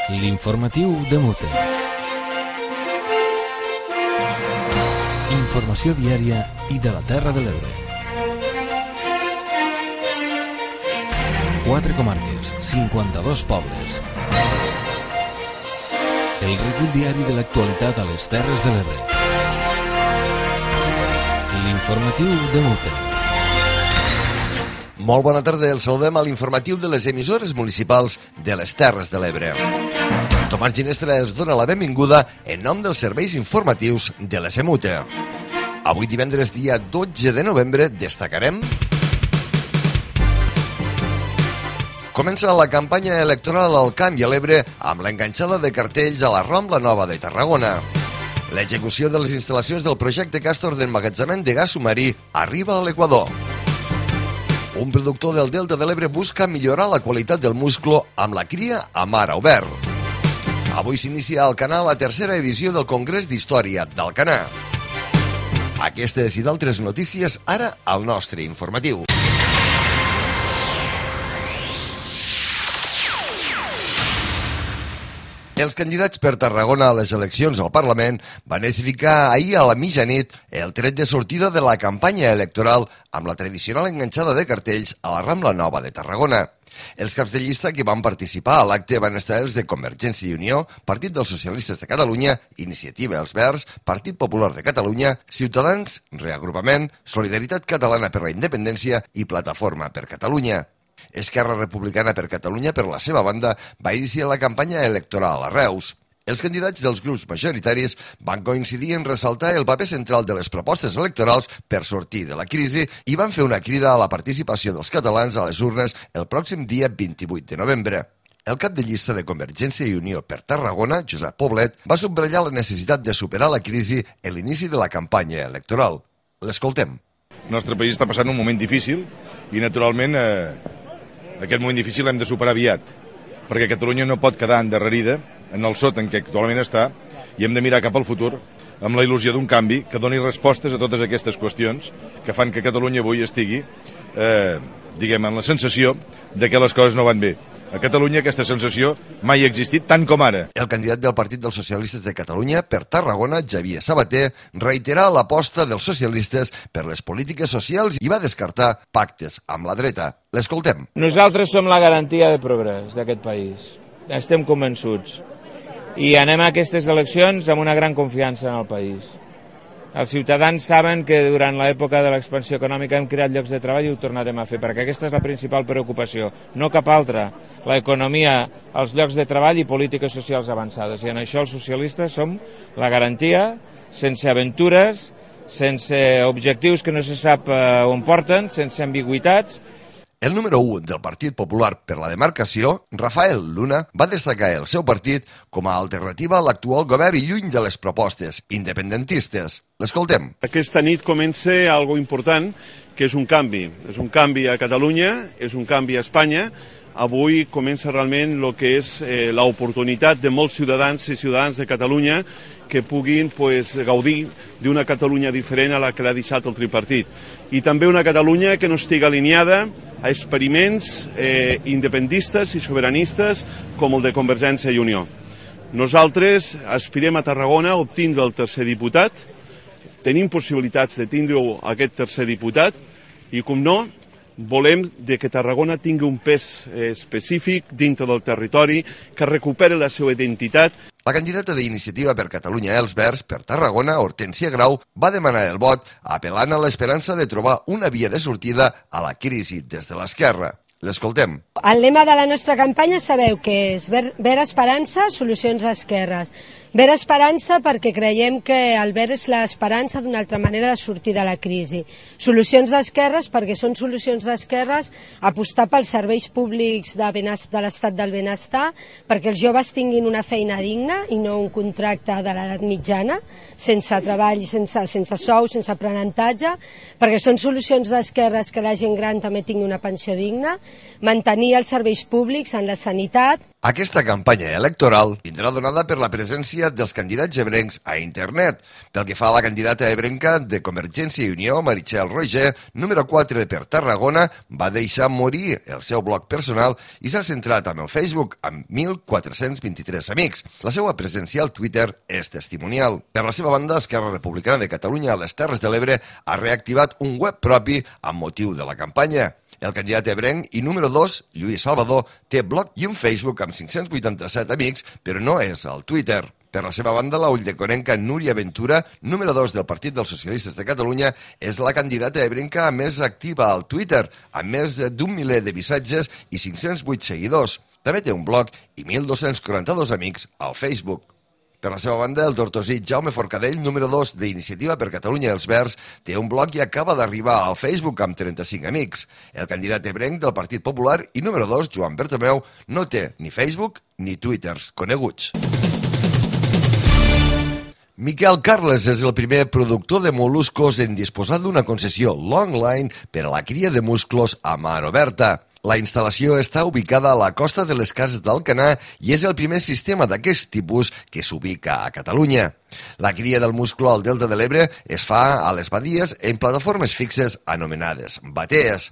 L'informatiu de Mute. Informació diària i de la Terra de l'Ebre. 4 comarques, 52 pobles. El recull diari de l'actualitat a les Terres de l'Ebre. L'informatiu de Mute. Molt bona tarda, el saludem a l'informatiu de les emissores municipals de les Terres de l'Ebre. Tomàs Ginestra els dona la benvinguda en nom dels serveis informatius de la SEMUTE. Avui divendres dia 12 de novembre destacarem... Comença la campanya electoral al Camp i a l'Ebre amb l'enganxada de cartells a la Rambla Nova de Tarragona. L'execució de les instal·lacions del projecte Castor d'emmagatzemament de gas submarí arriba a l'Equador. Un productor del Delta de l'Ebre busca millorar la qualitat del musclo amb la cria a mar obert. Avui s'inicia al canal la tercera edició del Congrés d'Història d'Alcanar. Aquestes i d'altres notícies ara al nostre informatiu. Els candidats per Tarragona a les eleccions al Parlament van especificar ahir a la mitjanit el tret de sortida de la campanya electoral amb la tradicional enganxada de cartells a la Rambla Nova de Tarragona. Els caps de llista que van participar a l'acte van estar els de Convergència i Unió, Partit dels Socialistes de Catalunya, Iniciativa Els Verds, Partit Popular de Catalunya, Ciutadans, Reagrupament, Solidaritat Catalana per la Independència i Plataforma per Catalunya. Esquerra Republicana per Catalunya, per la seva banda, va iniciar la campanya electoral a Reus. Els candidats dels grups majoritaris van coincidir en ressaltar el paper central de les propostes electorals per sortir de la crisi i van fer una crida a la participació dels catalans a les urnes el pròxim dia 28 de novembre. El cap de llista de Convergència i Unió per Tarragona, Josep Poblet, va subratllar la necessitat de superar la crisi en l'inici de la campanya electoral. L'escoltem. El nostre país està passant un moment difícil i, naturalment, aquest moment difícil l'hem de superar aviat, perquè Catalunya no pot quedar endarrerida en el sot en què actualment està i hem de mirar cap al futur amb la il·lusió d'un canvi que doni respostes a totes aquestes qüestions que fan que Catalunya avui estigui, en la sensació de que les coses no van bé. A Catalunya aquesta sensació mai ha existit tant com ara. El candidat del Partit dels Socialistes de Catalunya per Tarragona, Xavier Sabater, reiterà l'aposta dels socialistes per les polítiques socials i va descartar pactes amb la dreta. L'escoltem. Nosaltres som la garantia de progrés d'aquest país. Estem convençuts. I anem a aquestes eleccions amb una gran confiança en el país. Els ciutadans saben que durant l'època de l'expansió econòmica hem creat llocs de treball i ho tornarem a fer, perquè aquesta és la principal preocupació, no cap altra. L'economia, els llocs de treball i polítiques socials avançades. I en això els socialistes som la garantia, sense aventures, sense objectius que no se sap on porten, sense ambigüitats. El número 1 del Partit Popular per la demarcació, Rafael Luna, va destacar el seu partit com a alternativa a l'actual govern i lluny de les propostes independentistes. L'escoltem. Aquesta nit comença algo important, que és un canvi. És un canvi a Catalunya, és un canvi a Espanya. Avui comença realment el que és l'oportunitat de molts ciutadans i ciutadanes de Catalunya que puguin gaudir d'una Catalunya diferent a la que l'ha deixat el tripartit. I també una Catalunya que no estigui alineada a experiments independentistes i sobiranistes com el de Convergència i Unió. Nosaltres aspirem a Tarragona a obtindre el tercer diputat, tenim possibilitats de tindre aquest tercer diputat i, com no, volem que Tarragona tingui un pes específic dintre del territori, que recuperi la seva identitat. La candidata d'Iniciativa per Catalunya Els Verds per Tarragona, Hortènsia Grau, va demanar el vot apel·lant a l'esperança de trobar una via de sortida a la crisi des de l'esquerra. L'escoltem. El lema de la nostra campanya sabeu que és Vera Esperança, solucions a esquerres. Vera Esperança perquè creiem que el verd és l'esperança d'una altra manera de sortir de la crisi. Solucions d'esquerres perquè són solucions d'esquerres apostar pels serveis públics de l'estat del benestar, perquè els joves tinguin una feina digna i no un contracte de l'edat mitjana, sense treball, sense sou, sense aprenentatge, perquè són solucions d'esquerres que la gent gran també tingui una pensió digna, mantenir els serveis públics en la sanitat. Aquesta campanya electoral vindrà donada per la presència dels candidats ebrencs a internet. Pel que fa a la candidata ebrenca de Convergència i Unió, Meritxell Roigé, número 4 per Tarragona, va deixar morir el seu blog personal i s'ha centrat en el Facebook amb 1.423 amics. La seva presència al Twitter és testimonial. Per la seva banda, Esquerra Republicana de Catalunya a les Terres de l'Ebre ha reactivat un web propi amb motiu de la campanya. El candidat ebrenc i número 2, Lluís Salvador, té blog i un Facebook amb 587 amics, però no és al Twitter. Per la seva banda, la ulldeconnenca Núria Ventura, número 2 del Partit dels Socialistes de Catalunya, és la candidata ebrenca més activa al Twitter, amb més d'un miler de missatges i 508 seguidors. També té un blog i 1.242 amics al Facebook. Per la seva banda, el tortosí Jaume Forcadell, número 2 d'Iniciativa per Catalunya i els Verds, té un blog i acaba d'arribar al Facebook amb 35 amics. El candidat ebrenc del Partit Popular i número 2, Joan Bertomeu, no té ni Facebook ni Twitters coneguts. Miquel Carles és el primer productor de mol·luscos en disposar d'una concessió Longline per a la cria de musclos a mar oberta. La instal·lació està ubicada a la costa de les Cases d'Alcanar i és el primer sistema d'aquest tipus que s'ubica a Catalunya. La cria del musclo al Delta de l'Ebre es fa a les badies en plataformes fixes anomenades batees.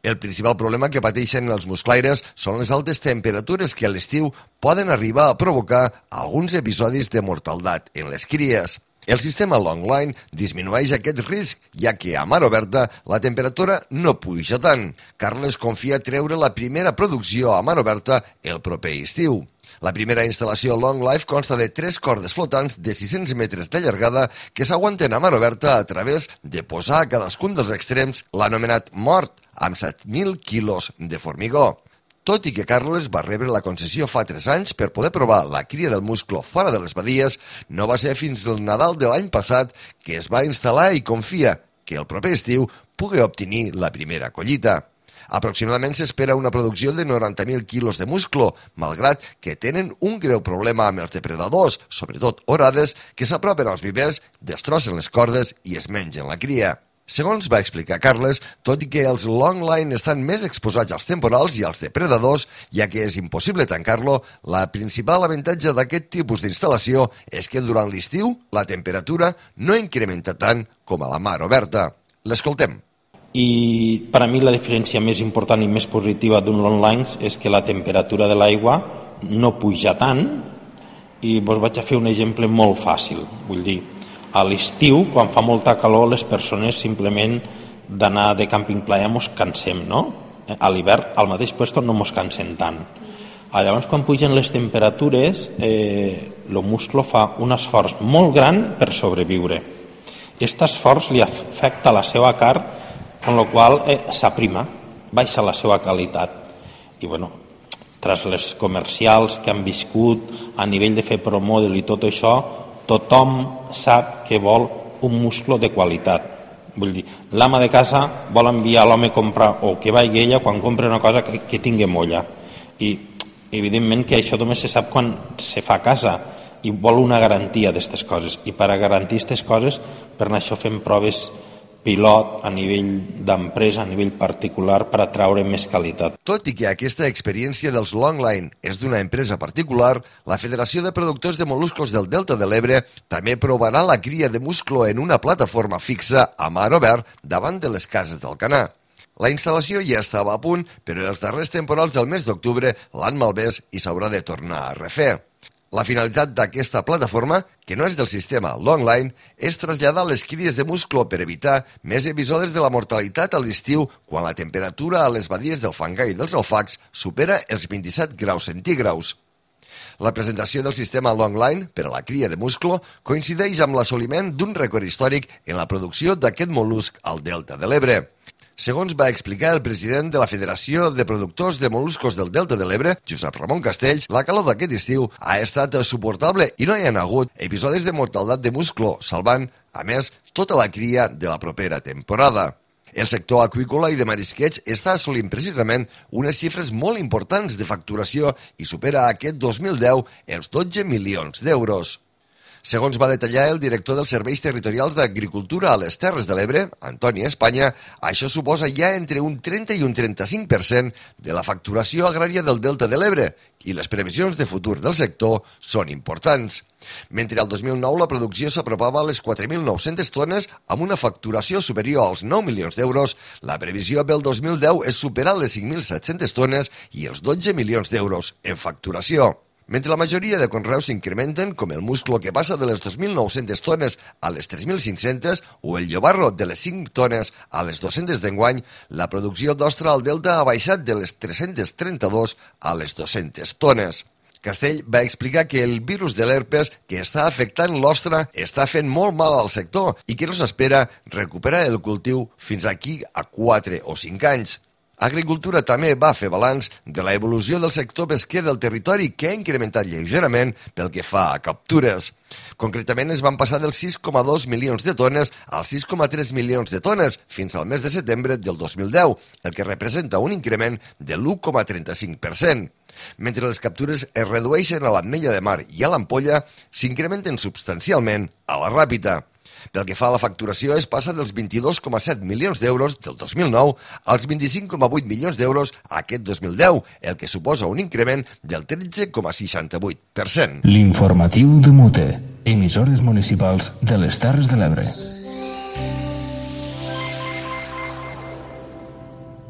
El principal problema que pateixen els musclaires són les altes temperatures que a l'estiu poden arribar a provocar alguns episodis de mortaldat en les cries. El sistema Longline disminueix aquest risc, ja que a mar oberta la temperatura no puja tant. Carles confia treure la primera producció a mar oberta el proper estiu. La primera instal·lació Long Life consta de 3 cordes flotants de 600 metres de llargada que s'aguanten a mar oberta a través de posar a cadascun dels extrems l'anomenat mort, amb 7.000 quilos de formigó. Tot i que Carles va rebre la concessió fa 3 anys per poder provar la cria del musclo fora de les badies, no va ser fins al Nadal de l'any passat que es va instal·lar i confia que el proper estiu pugui obtenir la primera collita. Aproximadament s'espera una producció de 90.000 quilos de musclo, malgrat que tenen un greu problema amb els depredadors, sobretot orades, que s'apropen als vivers, destrossen les cordes i es mengen la cria. Segons va explicar Carles, tot i que els Longline estan més exposats als temporals i als depredadors, ja que és impossible tancar-lo, la principal avantatge d'aquest tipus d'instal·lació és que durant l'estiu la temperatura no incrementa tant com a la mar oberta. L'escoltem. I per a mi la diferència més important i més positiva d'un Longline és que la temperatura de l'aigua no puja tant i vos vaig a fer un exemple molt fàcil, vull dir, a l'estiu, quan fa molta calor, les persones simplement d'anar de camping playa mos cansem, no? A l'hivern, al mateix puesto, no mos cansem tant. Llavors, quan pugen les temperatures, el musclo fa un esforç molt gran per sobreviure. Aquest esforç li afecta la seva carn, amb la qual s'aprima, baixa la seva qualitat. I, bueno, tras les comercials que han viscut a nivell de fer promodel i tot això, tothom sap que vol un musclo de qualitat. Vull dir, l'ama de casa vol enviar l'home a comprar, o que vagi ella quan compra una cosa que tingui molla. I evidentment que això només se sap quan se fa a casa i vol una garantia d'aquestes coses. I per a garantir aquestes coses, per això fem proves pilot a nivell d'empresa, a nivell particular, per atraure més qualitat. Tot i que aquesta experiència dels Longline és d'una empresa particular, la Federació de Productors de Mol·luscos del Delta de l'Ebre també provarà la cria de musclo en una plataforma fixa a mar obert davant de les Cases d'Alcanar. La instal·lació ja estava a punt, però els darrers temporals del mes d'octubre l'han malmès i s'haurà de tornar a refer. La finalitat d'aquesta plataforma, que no és del sistema Longline, és traslladar les cries de musclo per evitar més episodis de la mortalitat a l'estiu quan la temperatura a les badies del Fangar i dels Alfacs supera els 27 graus centígrads. La presentació del sistema Longline per a la cria de musclo coincideix amb l'assoliment d'un rècord històric en la producció d'aquest mol·lusc al Delta de l'Ebre. Segons va explicar el president de la Federació de Productors de Mol·luscos del Delta de l'Ebre, Josep Ramon Castells, la calor d'aquest estiu ha estat suportable i no hi ha hagut episodis de mortaldat de musclo, salvant, a més, tota la cria de la propera temporada. El sector aqüícola i de marisqueig està assolint precisament unes xifres molt importants de facturació i supera aquest 2010 els 12 milions d'euros. Segons va detallar el director dels Serveis Territorials d'Agricultura a les Terres de l'Ebre, Antoni Espanya, això suposa ja entre un 30 i un 35% de la facturació agrària del Delta de l'Ebre i les previsions de futur del sector són importants. Mentre al 2009 la producció s'apropava a les 4.900 tones amb una facturació superior als 9 milions d'euros, la previsió pel 2010 és superar les 5.700 tones i els 12 milions d'euros en facturació. Mentre la majoria de conreus s'incrementen, com el musclo que passa de les 2.900 tones a les 3.500 o el llobarro de les 5 tones a les 200 d'enguany, la producció d'ostra al Delta ha baixat de les 332 a les 200 tones. Castell va explicar que el virus de l'herpes que està afectant l'ostra està fent molt mal al sector i que no s'espera recuperar el cultiu fins aquí a 4 o 5 anys. Agricultura també va fer balanç de la evolució del sector pesquer del territori que ha incrementat lleugerament pel que fa a captures. Concretament es van passar dels 6,2 milions de tones als 6,3 milions de tones fins al mes de setembre del 2010, el que representa un increment de l'1,35%. Mentre les captures es redueixen a l'Ametlla de Mar i a l'Ampolla, s'incrementen substancialment a la Ràpita. Pel que fa a la facturació, es passa dels 22,7 milions d'euros del 2009 als 25,8 milions d'euros aquest 2010, el que suposa un increment del 13,68%. L'informatiu de Mute, emissores municipals de les Terres de l'Ebre.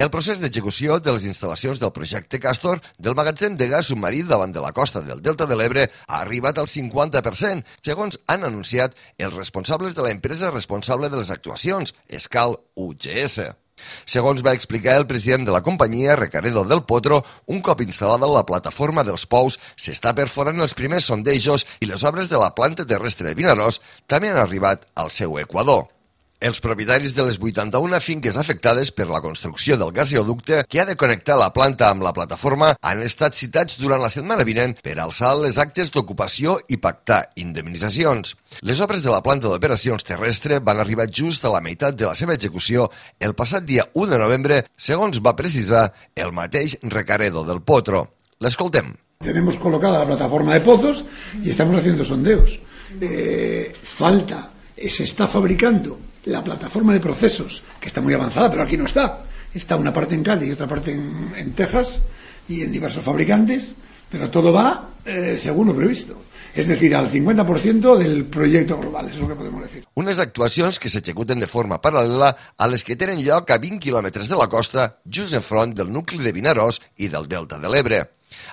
El procés d'execució de les instal·lacions del projecte Castor del magatzem de gas submarí davant de la costa del Delta de l'Ebre ha arribat al 50%, segons han anunciat els responsables de l'empresa responsable de les actuacions, Escal UGS. Segons va explicar el president de la companyia, Recaredo del Potro, un cop instal·lada la plataforma dels pous, s'està perforant els primers sondejos i les obres de la planta terrestre de Vinaròs també han arribat al seu equador. Els propietaris de les 81 finques afectades per la construcció del gasoducte que ha de connectar la planta amb la plataforma han estat citats durant la setmana vinent per alçar les actes d'ocupació i pactar indemnitzacions. Les obres de la planta d'operacions terrestre van arribar just a la meitat de la seva execució el passat dia 1 de novembre, segons va precisar el mateix Recaredo del Potro. L'escoltem. Tenemos colocada la plataforma de pozos y estamos haciendo sondeos. Se está fabricando la plataforma de procesos, que está muy avanzada, pero aquí no está. Está una parte en Cádiz y otra parte en Texas y en diversos fabricantes, pero todo va según lo previsto. És a dir, al 50% del projecte global, és el que podem dir. Unes actuacions que s'executen de forma paral·lela a les que tenen lloc a 20 quilòmetres de la costa, just enfront del nucli de Vinaròs i del Delta de l'Ebre.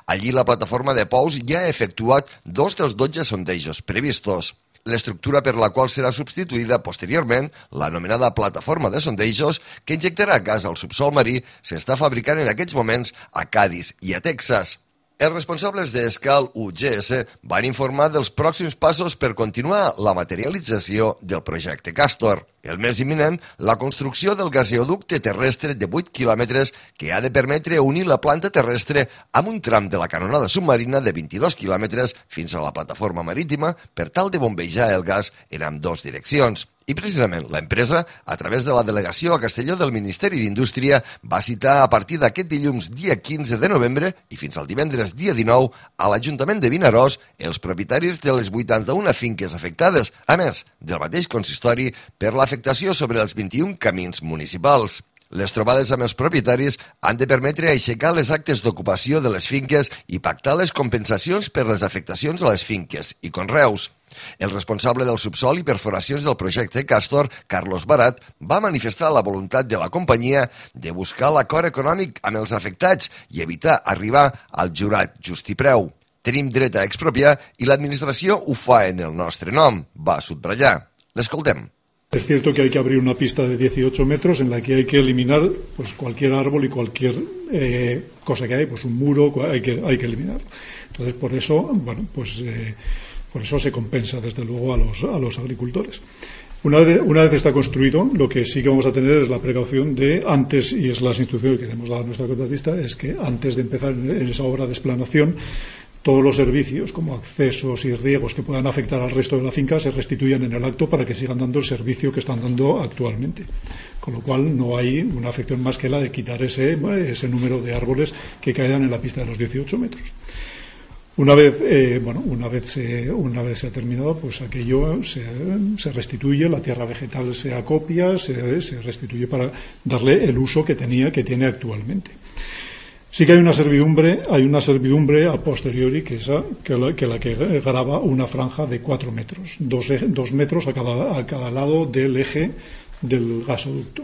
Allí la plataforma de pous ja ha efectuat 2 dels 12 sondejos previstos. L'estructura per la qual serà substituïda posteriorment, l'anomenada plataforma de sondejos, que injectarà gas al subsol marí, s'està fabricant en aquests moments a Cádiz i a Texas. Els responsables d'Escal UGS van informar dels pròxims passos per continuar la materialització del projecte Castor. El mes imminent, la construcció del gasoducte terrestre de 8 quilòmetres que ha de permetre unir la planta terrestre amb un tram de la canonada submarina de 22 quilòmetres fins a la plataforma marítima per tal de bombejar el gas en ambdós direccions. I precisament l'empresa, a través de la delegació a Castelló del Ministeri d'Indústria, va citar a partir d'aquest dilluns dia 15 de novembre i fins al divendres dia 19 a l'Ajuntament de Vinaròs els propietaris de les 81 finques afectades, a més del mateix consistori per l'afectació sobre els 21 camins municipals. Les trobades amb els propietaris han de permetre aixecar les actes d'ocupació de les finques i pactar les compensacions per les afectacions a les finques i conreus. El responsable del subsol i perforacions del projecte Castor, Carlos Barat, va manifestar la voluntat de la companyia de buscar l'acord econòmic amb els afectats i evitar arribar al jurat justipreu. Tenim dret a expropiar i l'administració ho fa en el nostre nom, va subratllar. L'escoltem. Es cierto que hay que abrir una pista de 18 metros en la que hay que eliminar pues cualquier árbol y cualquier cosa que hay, pues un muro hay que eliminar. Entonces por eso, por eso se compensa desde luego a los agricultores. Una vez está construido, lo que sí que vamos a tener es la precaución de antes, y es las instrucciones que hemos dado a nuestra contratista, es que antes de empezar en esa obra de explanación, todos los servicios como accesos y riegos que puedan afectar al resto de la finca se restituyan en el acto para que sigan dando el servicio que están dando actualmente. Con lo cual no hay una afección más que la de quitar ese número de árboles que caerán en la pista de los 18 metros. Una vez se ha terminado, pues aquello se restituye, la tierra vegetal se acopia, se restituye para darle el uso que tiene actualmente. Sí que hay una servidumbre a posteriori que graba una franja de 4 metros, 2 metros a cada lado del eje del gasoducto,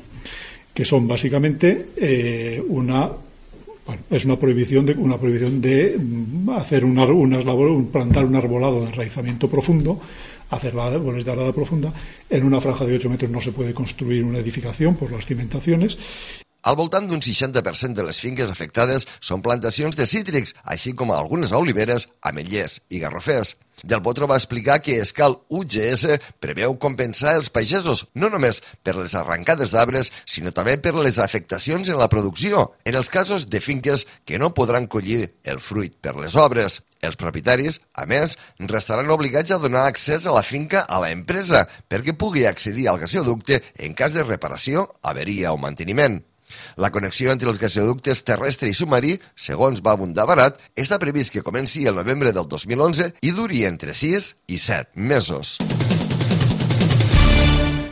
que son básicamente es una prohibición de hacer plantar un arbolado de enraizamiento profundo, hacer árboles de arada profunda. En una franja de 8 metros no se puede construir una edificación por las cimentaciones. Al voltant d'un 60% de les finques afectades són plantacions de cítrics, així com algunes oliveres, ametllers i garrofers. Del Potro va explicar que Escal UGS preveu compensar els pagesos no només per les arrencades d'arbres, sinó també per les afectacions en la producció, en els casos de finques que no podran collir el fruit per les obres. Els propietaris, a més, restaran obligats a donar accés a la finca a l'empresa perquè pugui accedir al gasoducte en cas de reparació, averia o manteniment. La connexió entre els gasoductes terrestre i submarí, segons va abundar barat, està previst que comenci el novembre del 2011 i duri entre 6 i 7 mesos.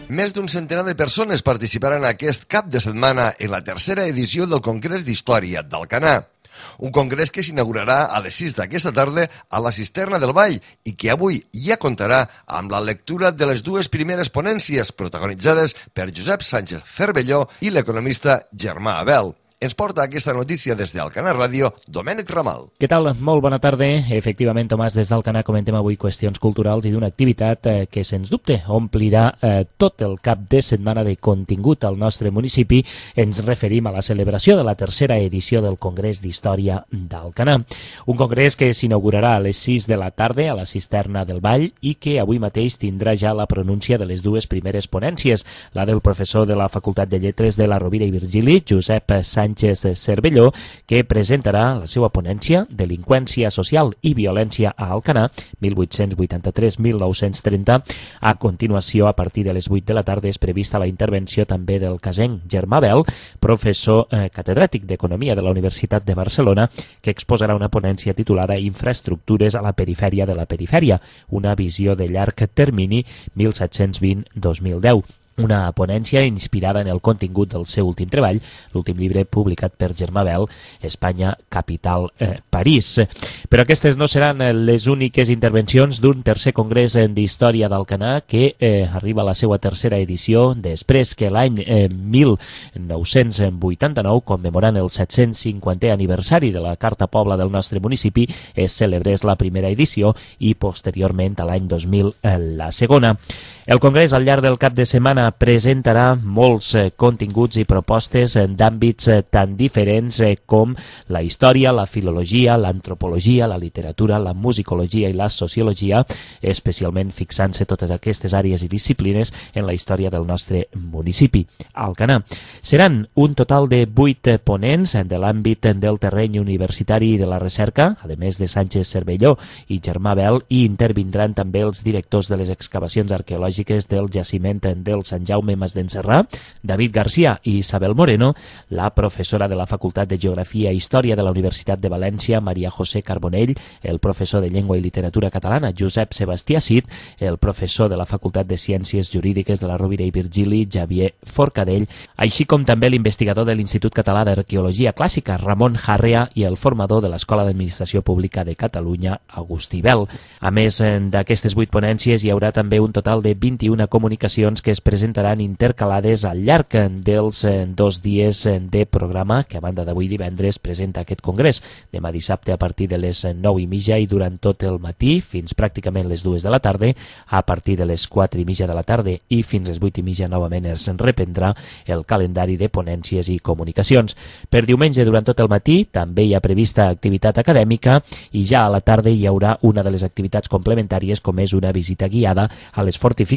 Més d'un centenar de persones participaran aquest cap de setmana en la tercera edició del Congrés d'Història d'Alcanar. Un congrés que s'inaugurarà a les 6 d'aquesta tarda a la Cisterna del Vall i que avui ja comptarà amb la lectura de les dues primeres ponències protagonitzades per Josep Sánchez Cervelló i l'economista Germà Abel. Ens porta aquesta notícia des d'Alcanar Ràdio, Domènec Ramal. Què tal? Molt bona tarda. Efectivament, Tomàs, des d'Alcanar comentem avui qüestions culturals i d'una activitat que, sens dubte, omplirà tot el cap de setmana de contingut al nostre municipi. Ens referim a la celebració de la tercera edició del Congrés d'Història d'Alcanar. Un congrés que s'inaugurarà a les 6 de la tarda a la Cisterna del Vall i que avui mateix tindrà ja la pronúncia de les dues primeres ponències, la del professor de la Facultat de Lletres de la Rovira i Virgili, Josep Sánchez Cervelló, que presentarà la seva ponència Delinqüència social i violència a Alcanar, 1883-1930. A continuació, a partir de les 8 de la tarda, és prevista la intervenció també del casenc Germà Abel, professor catedràtic d'Economia de la Universitat de Barcelona, que exposarà una ponència titulada Infraestructures a la perifèria de la perifèria, una visió de llarg termini 1720-2010. Una ponència inspirada en el contingut del seu últim treball, l'últim llibre publicat per Germà Abel, Espanya, capital, París. Però aquestes no seran les úniques intervencions d'un tercer congrés d'història d'Alcanar que arriba a la seva tercera edició després que l'any 1989, commemorant el 750è aniversari de la Carta Pobla del nostre municipi, es celebrés la primera edició i posteriorment a l'any 2000 la segona. El congrés al llarg del cap de setmana presentarà molts continguts i propostes d'àmbits tan diferents com la història, la filologia, l'antropologia, la literatura, la musicologia i la sociologia, especialment fixant-se totes aquestes àrees i disciplines en la història del nostre municipi, Alcanar. Seran un total de 8 ponents de l'àmbit del terreny universitari i de la recerca, a més de Sánchez Cervelló i Germà Abel, i intervindran també els directors de les excavacions arqueològiques del jaciment del Sant Jaume Mas d'Encerrà, David García i Isabel Moreno, la professora de la Facultat de Geografia i Història de la Universitat de València, Maria José Carbonell, el professor de Llengua i Literatura Catalana, Josep Sebastià Cid, el professor de la Facultat de Ciències Jurídiques de la Rovira i Virgili, Xavier Forcadell, així com també l'investigador de l'Institut Català d'Arqueologia Clàssica, Ramon Jarrea, i el formador de l'Escola d'Administració Pública de Catalunya, Agustí Bel. A més d'aquestes 8 ponències, hi haurà també un total de 21 comunicacions que es presentaran intercalades al llarg dels 2 dies de programa que a banda d'avui divendres presenta aquest congrés. Demà dissabte a partir de les 9:30 i durant tot el matí fins pràcticament les 2 de la tarda, a partir de les 4:30 de la tarda i fins les 8:30 novament es reprendrà el calendari de ponències i comunicacions. Per diumenge durant tot el matí també hi ha prevista activitat acadèmica i ja a la tarda hi haurà una de les activitats complementàries com és una visita guiada a les fortificacions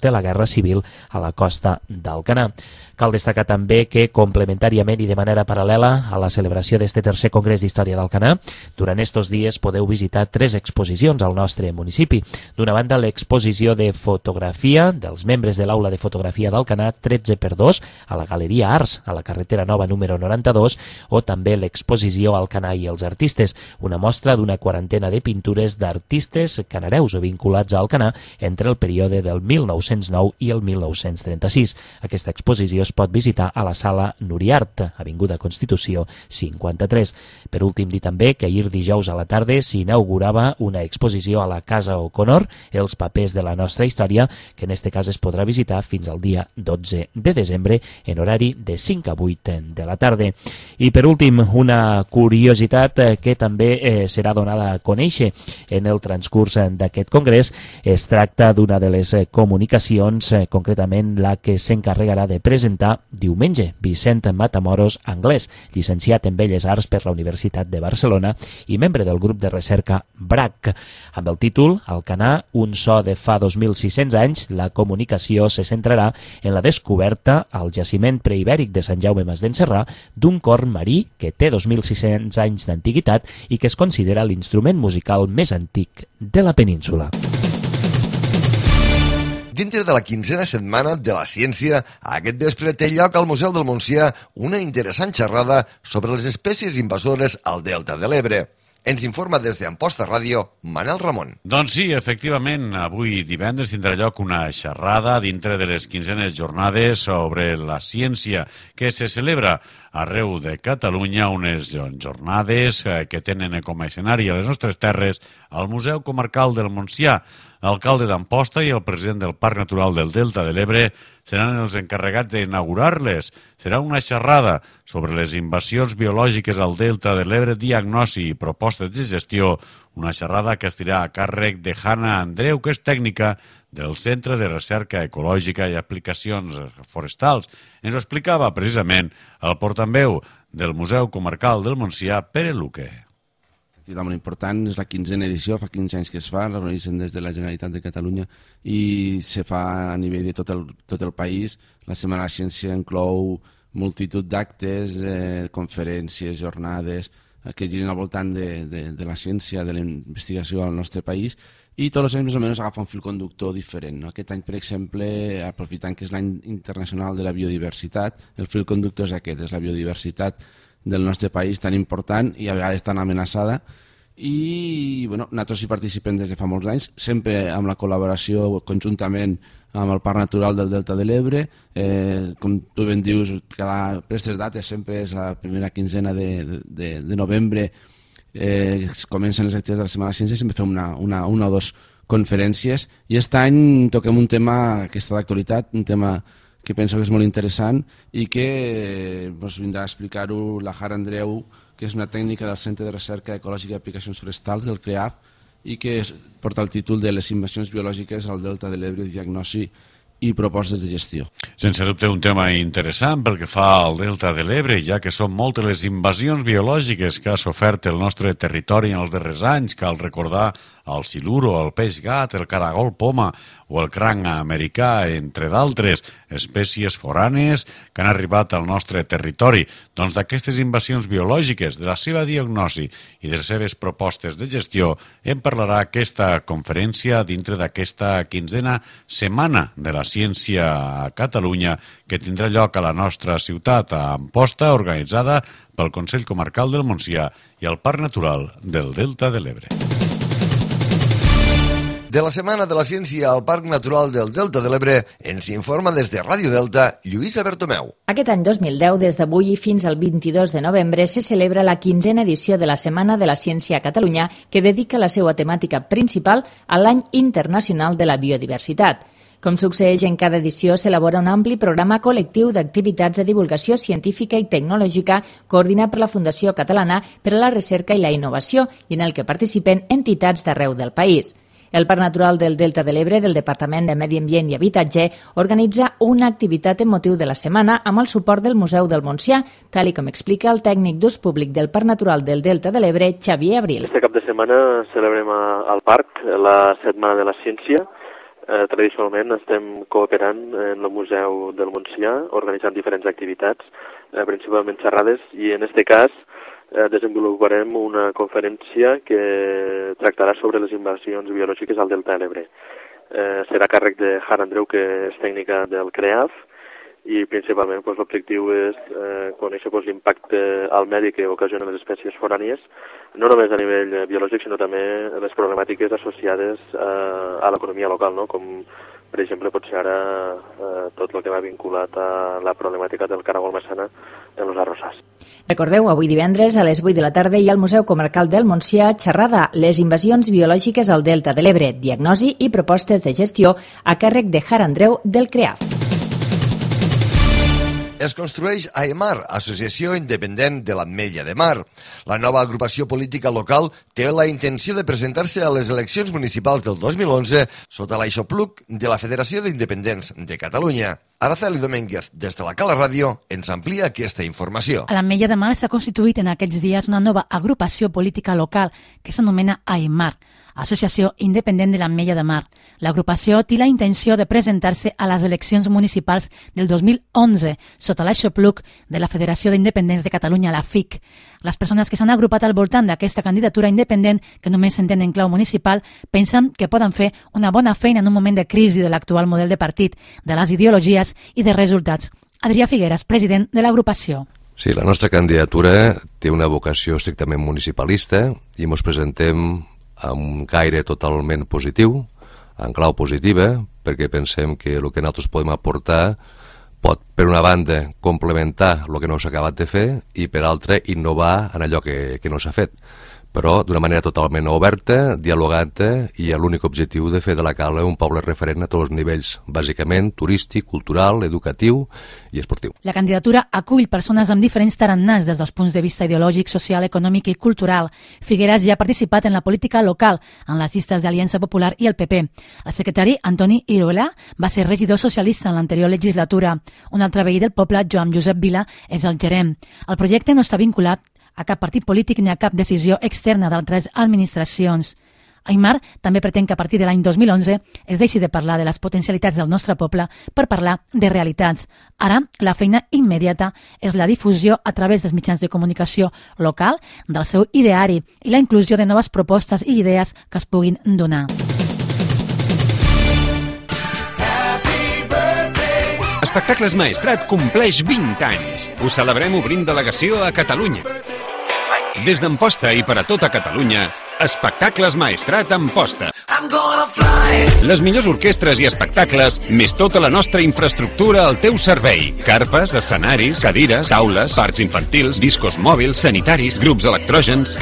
de la Guerra Civil a la costa d'Alcanar. Cal destacar també que, complementàriament i de manera paral·lela a la celebració d'este tercer Congrés d'Història d'Alcanar, durant estos dies podeu visitar 3 exposicions al nostre municipi. D'una banda, l'exposició de fotografia dels membres de l'Aula de Fotografia d'Alcanar 13x2 a la Galeria Arts, a la carretera Nova número 92, o també l'exposició Alcanar i els artistes, una mostra d'una 40 de pintures d'artistes canareus o vinculats a Alcanar entre el període del 1909 i el 1936. Aquesta exposició es pot visitar a la Sala Nuriart, avinguda Constitució 53. Per últim, dir també que ahir dijous a la tarda s'inaugurava una exposició a la Casa O'Connor, Els papers de la nostra història, que en este cas es podrà visitar fins al dia 12 de desembre en horari de 5 a 8 de la tarda. I per últim, una curiositat que també serà donada a conèixer en el transcurs d'aquest congrés. Es tracta d'una de les comunicacions, concretament la que s'encarregarà de presentar diumenge Vicent Matamoros, anglès, llicenciat en Belles Arts per la Universitat de Barcelona i membre del grup de recerca BRAC. Amb el títol Alcanar, un so de fa 2.600 anys, la comunicació se centrarà en la descoberta al jaciment preibèric de Sant Jaume Mas d'Encerrà d'un corn marí que té 2.600 anys d'antiguitat i que es considera l'instrument musical més antic de la península. Dintre de la 15a setmana de la ciència, aquest vespre té lloc al Museu del Montsià una interessant xerrada sobre les espècies invasores al Delta de l'Ebre. Ens informa des d'Amposta Ràdio, Manel Ramon. Doncs sí, efectivament, avui divendres tindrà lloc una xerrada dintre de les 15enes jornades sobre la ciència que se celebra arreu de Catalunya, unes jornades que tenen com a escenari a les nostres terres al Museu Comarcal del Montsià. L'alcalde d'Amposta i el president del Parc Natural del Delta de l'Ebre seran els encarregats d'inaugurar-les. Serà una xerrada sobre les invasions biològiques al Delta de l'Ebre, diagnosi i propostes de gestió, una xerrada que estirà a càrrec de Hanna Andreu, que és tècnica del Centre de Recerca Ecològica i Aplicacions Forestals. Ens ho explicava precisament el portaveu del Museu Comarcal del Montsià, Pere Luque. Activitat molt important, és la 15a edició, fa 15 anys que es fa, l'organitzen des de la Generalitat de Catalunya i se fa a nivell de tot el país. La Setmana de la Ciència inclou multitud d'actes, conferències, jornades que giren al voltant de la ciència, de la investigació al nostre país i tots els anys més o menys agafa un fil conductor diferent. Aquest any, per exemple, aprofitant que és l'any internacional de la biodiversitat, el fil conductor és aquest, és la biodiversitat del nostre país tan important i a vegades tan amenaçada i nosaltres hi participem des de fa molts anys, sempre amb la col·laboració conjuntament amb el Parc Natural del Delta de l'Ebre. Com tu ben dius, per aquestes dates sempre és la primera quinzena de novembre, comencen les activitats de la Setmana de la Ciència i sempre fem una o dues conferències i aquest any toquem un tema que està d'actualitat, un tema que penso que és molt interessant i que ens vindrà a explicar-ho la Hanna Andreu, que és una tècnica del Centre de Recerca Ecològica i Aplicacions Forestals del CREAF i que porta el títol de les invasions biològiques al Delta de l'Ebre, diagnosi i propostes de gestió. Sense dubte un tema interessant pel que fa al Delta de l'Ebre, ja que són moltes les invasions biològiques que ha sofert el nostre territori en els darrers anys. Cal recordar el siluro, el peix gat, el caragol poma o el cranc americà, entre d'altres espècies foranes que han arribat al nostre territori. Doncs d'aquestes invasions biològiques, de la seva diagnosi i de les seves propostes de gestió, en parlarà aquesta conferència dintre d'aquesta 15a Setmana de la Ciència a Catalunya, que tindrà lloc a la nostra ciutat, a Amposta, organitzada pel Consell Comarcal del Montsià i el Parc Natural del Delta de l'Ebre. De la Setmana de la Ciència al Parc Natural del Delta de l'Ebre ens informa des de Ràdio Delta Lluïsa Bertomeu. Aquest any 2010, des d'avui fins al 22 de novembre, se celebra la 15a edició de la Setmana de la Ciència a Catalunya, que dedica la seva temàtica principal a l'Any Internacional de la Biodiversitat. Com succeeix en cada edició, s'elabora un ampli programa col·lectiu d'activitats de divulgació científica i tecnològica coordinat per la Fundació Catalana per a la Recerca i la Innovació i en el que participen entitats d'arreu del país. El Parc Natural del Delta de l'Ebre del Departament de Medi Ambient i Habitatge organitza una activitat en motiu de la setmana amb el suport del Museu del Montsià, tal com explica el tècnic d'ús públic del Parc Natural del Delta de l'Ebre, Xavier Abril. Este cap de setmana celebrem al parc la Setmana de la Ciència. Tradicionalment estem cooperant en el Museu del Montsià, organitzant diferents activitats, principalment xerrades, i en aquest cas desenvoluparem una conferència que tractarà sobre les invasions biològiques al Delta de l'Ebre. Serà a càrrec de Jara Andreu, que és tècnica del CREAF, i principalment l'objectiu és conèixer l'impacte al medi que ocasionen les espècies forànies, no només a nivell biològic, sinó també les problemàtiques associades a l'economia local, no? Com per exemple pot ser ara tot el que va vinculat a la problemàtica del caragol massana en els arrossars. Recordeu, avui divendres a les 8 de la tarda hi ha al Museu Comarcal del Montsià xerrada Les invasions biològiques al Delta de l'Ebre, diagnosi i propostes de gestió a càrrec de Jara Andreu del CREAF. Es construeix AEMAR, Associació Independent de l'Ametlla de Mar. La nova agrupació política local té la intenció de presentar-se a les eleccions municipals del 2011 sota l'aixopluc de la Federació d'Independents de Catalunya. Araceli Domínguez, des de la Cala Ràdio, ens amplia aquesta informació. A l'Ametlla de Mar s'ha constituït en aquests dies una nova agrupació política local que s'anomena AEMAR, Associació Independent de l'Ametlla de Mar. L'agrupació té la intenció de presentar-se a les eleccions municipals del 2011 sota l'aixopluc de la Federació d'Independents de Catalunya, la FIC. Les persones que s'han agrupat al voltant d'aquesta candidatura independent, que només s'entén en clau municipal, pensen que poden fer una bona feina en un moment de crisi de l'actual model de partit, de les ideologies i de resultats. Adrià Figueras, president de l'agrupació. Sí, la nostra candidatura té una vocació estrictament municipalista i ens presentem amb un caire totalment positiu, en clau positiva, perquè pensem que el que nosaltres podem aportar pot, per una banda, complementar el que no s'ha acabat de fer i, per altra, innovar en allò que no s'ha fet, però d'una manera totalment oberta, dialogant i amb l'únic objectiu de fer de la Cala un poble referent a tots els nivells, bàsicament turístic, cultural, educatiu i esportiu. La candidatura acull persones amb diferents tarannàs des dels punts de vista ideològic, social, econòmic i cultural. Figueras ja ha participat en la política local, en les llistes d'Aliança Popular i el PP. El secretari, Antoni Iruela, va ser regidor socialista en l'anterior legislatura. Un altre veí del poble, Joan Josep Vila, és el gerent. El projecte no està vinculat a cap partit polític ni a cap decisió externa d'altres administracions. AEMAR també pretén que a partir de l'any 2011 es deixi de parlar de les potencialitats del nostre poble per parlar de realitats. Ara, la feina immediata és la difusió a través dels mitjans de comunicació local del seu ideari i la inclusió de noves propostes i idees que es puguin donar. Espectacles Maestrat compleix 20 anys. Ho celebrem obrint delegació a Catalunya. Des d'Amposta i per a tota Catalunya, Espectacles Maestrat Amposta. Les millors orquestres i espectacles, més tota la nostra infraestructura al teu servei. Carpes, escenaris, cadires, taules, parcs infantils, discos mòbils, sanitaris, grups electrògens.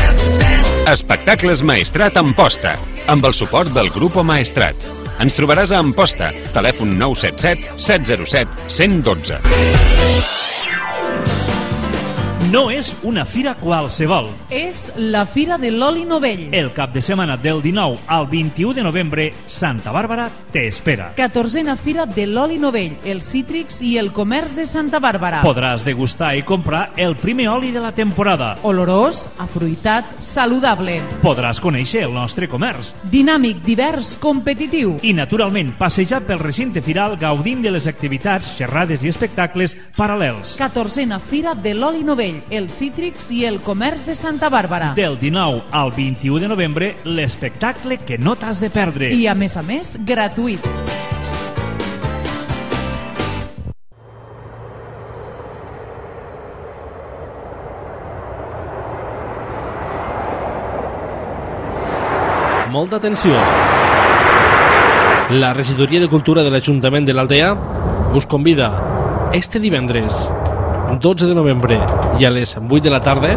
Espectacles Maestrat Amposta, amb el suport del Grupo Maestrat. Ens trobaràs a Amposta, telèfon 977 707 112. No és una fira qualsevol. És la Fira de l'Oli Novell. El cap de setmana del 19 al 21 de novembre, Santa Bàrbara t'espera. 14a Fira de l'Oli Novell, els cítrics i el comerç de Santa Bàrbara. Podràs degustar i comprar el primer oli de la temporada. Olorós, afruitat, saludable. Podràs conèixer el nostre comerç. Dinàmic, divers, competitiu. I, naturalment, passejar pel recinte firal gaudint de les activitats, xerrades i espectacles paral·lels. 14a Fira de l'Oli Novell, els cítrics i el comerç de Santa Bàrbara. Del 19 al 21 de novembre, l'espectacle que no t'has de perdre. I, a més, gratuït. Molta atenció. La Regidoria de Cultura de l'Ajuntament de l'Aldea us convida este divendres 12 de novembre i a les 8 de la tarda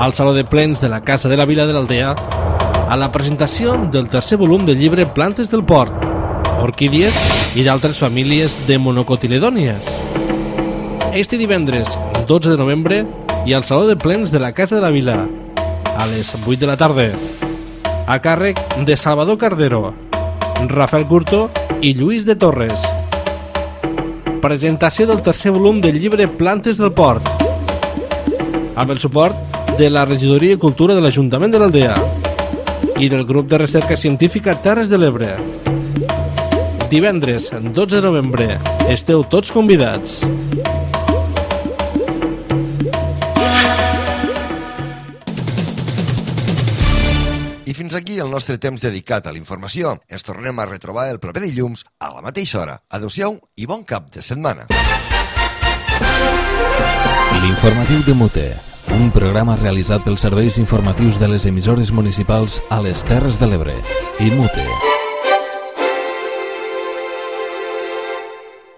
al Saló de Plens de la Casa de la Vila de l'Aldea a la presentació del tercer volum del llibre Plantes del Port, orquídies i d'altres famílies de monocotiledònies. Este divendres 12 de novembre i al Saló de Plens de la Casa de la Vila a les 8 de la tarda, a càrrec de Salvador Cardero, Rafael Curto i Lluís de Torres. Presentació del tercer volum del llibre Plantes del Port, amb el suport de la Regidoria de Cultura de l'Ajuntament de l'Aldea i del Grup de Recerca Científica Terres de l'Ebre. Divendres 12 de novembre. Esteu tots convidats. I fins aquí el nostre temps dedicat a la informació. Ens tornem a retrobar el proper dilluns a la mateixa hora. Adéu-siau i bon cap de setmana. L'informatiu de Mute, un programa realitzat pels serveis informatius de les emissores municipals a les Terres de l'Ebre i Mute.